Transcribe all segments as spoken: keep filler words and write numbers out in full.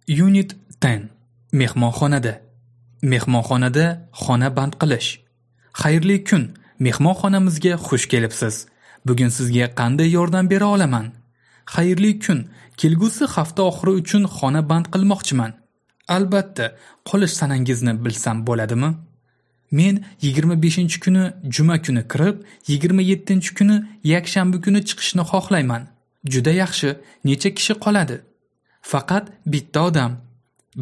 Unit o'n. Mehmonxonada. Mehmonxonada xona band qilish. Xayrli kun, mehmonxonamizga xush kelibsiz. Bugun sizga qanday yordam bera olaman? Xayrli kun, kelgusi hafta oxiri uchun xona band qilmoqchiman. Albatta, qolish sanangizni bilsam bo'ladimi? Men yigirma beshinchi kuni juma kuni kirib, yigirma yettinchi kuni yakshanba kuni chiqishni xohlayman. Juda yaxshi, necha kishi qoladi? Faqat bitta odam.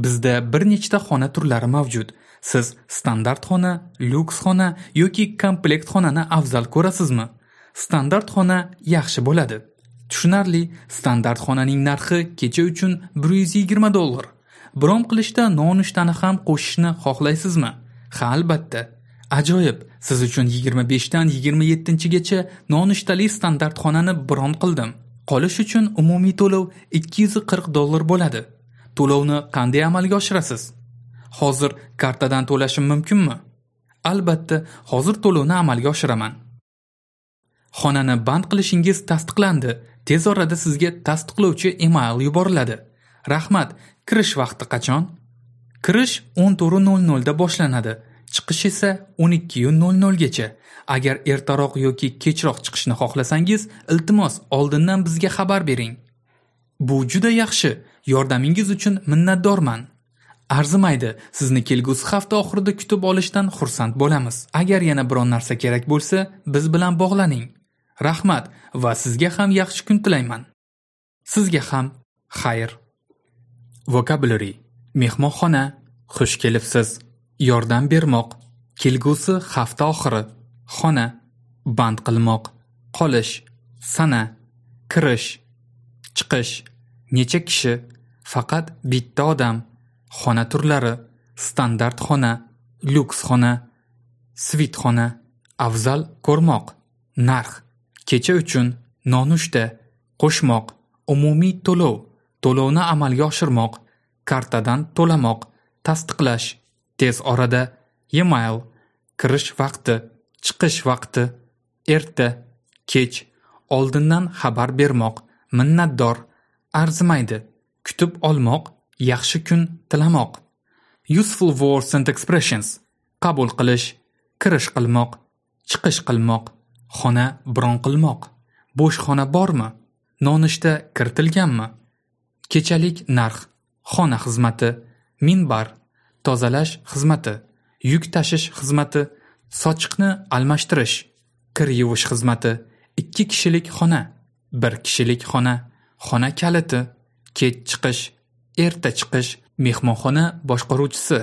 Bizda bir nechta xona turlari mavjud. Siz standart xona, lyuks xona yoki komplekt xonani afzal ko'rasizmi? Standart xona yaxshi bo'ladi. Tushunarli, standart xonaning narxi kecha uchun bir yuz yigirma dollar. Bron qilishda nonushtani ham qo'shishni xohlaysizmi? Ha, albatta. Ajoyib, siz uchun yigirma beshdan yigirma yettinchigacha nonushtali standart xonani bron qildim. Qolish uchun umumiy to'lov ikki yuz qirq dollar bo'ladi. To'lovni qanday amalga oshirasiz? Hozir kartadan to'lashim mumkinmi? Albatta, hozir to'lovni amalga oshiraman. Xonani band qilishingiz tasdiqlandi. Tez orada sizga tasdiqlovchi email yuboriladi. Rahmat. Kirish vaqti qachon? Kirish o'n to'rt nol nolda boshlanadi. Chiqish esa o'n ikki nol nolgacha. Agar ertaroq yoki kechroq chiqishni xohlasangiz, iltimos oldindan bizga xabar bering. Bu juda yaxshi. Yordamingiz uchun minnatdorman. Arzimaydi. Sizni kelgusi hafta oxirida kutib olishdan xursand bo'lamiz. Agar yana biron narsa kerak bo'lsa, biz bilan bog'laning. Rahmat va sizga ham yaxshi kun tilayman. Sizga ham xayr. Vocabulary: mehmonxona, xush kelibsiz, yordam bermoq, kelgusi hafta oxiri, xona, band qilmoq, qolish, sana, kirish, chiqish, necha kishi, faqat bitta odam, xona turlari, standart xona, lyuks xona, svit xona, afzal ko'rmoq, narx, kecha uchun, nonushta, qo'shmoq, umumiy to'lov, to'lovni amalga oshirmoq, kartadan to'lamoq, tasdiqlash, tez orada, e-mail, kirish vaqti, chiqish vaqti, erta, kech, oldindan xabar bermoq, minnatdor, arzimaydi, kutib olmoq, yaxshi kun tilamoq. Useful words and expressions: qabul qilish, kirish qilmoq, chiqish qilmoq, xona bron qilmoq, bo'sh xona bormi, nonushta kiritilganmi, kechalik narx, xona xizmati, minbar, tozalash xizmati, yuk tashish xizmati, sochiqni almashtirish, kir yuvish xizmati, ikki kishilik xona, bir kishilik xona, xona kaliti, kech chiqish, erta chiqish, mehmonxona boshqaruvchisi,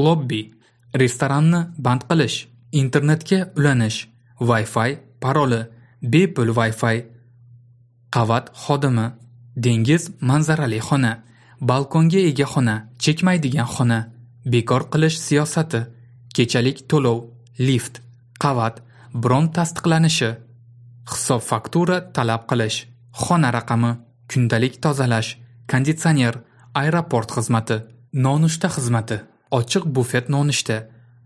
lobbi, restoranni band qilish, internetga ulanish, Wi-Fi paroli, bepul Wi-Fi, qavat xodimi, dengiz manzarali xona, balkonga ega xona, chekmaydigan xona, bekor qilish siyosati, kechalik to'lov, lift, qavat, bron tasdiqlanishi, hisob-faktura talab qilish, xona raqami, kundalik tozalash, konditsioner, aeroport xizmati, nonushta xizmati, ochiq bufet nonushta,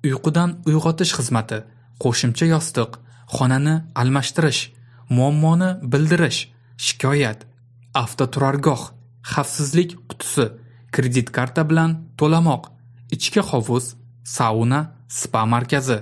uyqudan uyg'otish xizmati, qo'shimcha yostiq, xonani almashtirish, muammoni bildirish, shikoyat, avtoturargoh, xavfsizlik qutisi, kredit karta bilan to'lamoq, ichki hovuz, sauna, spa markazi.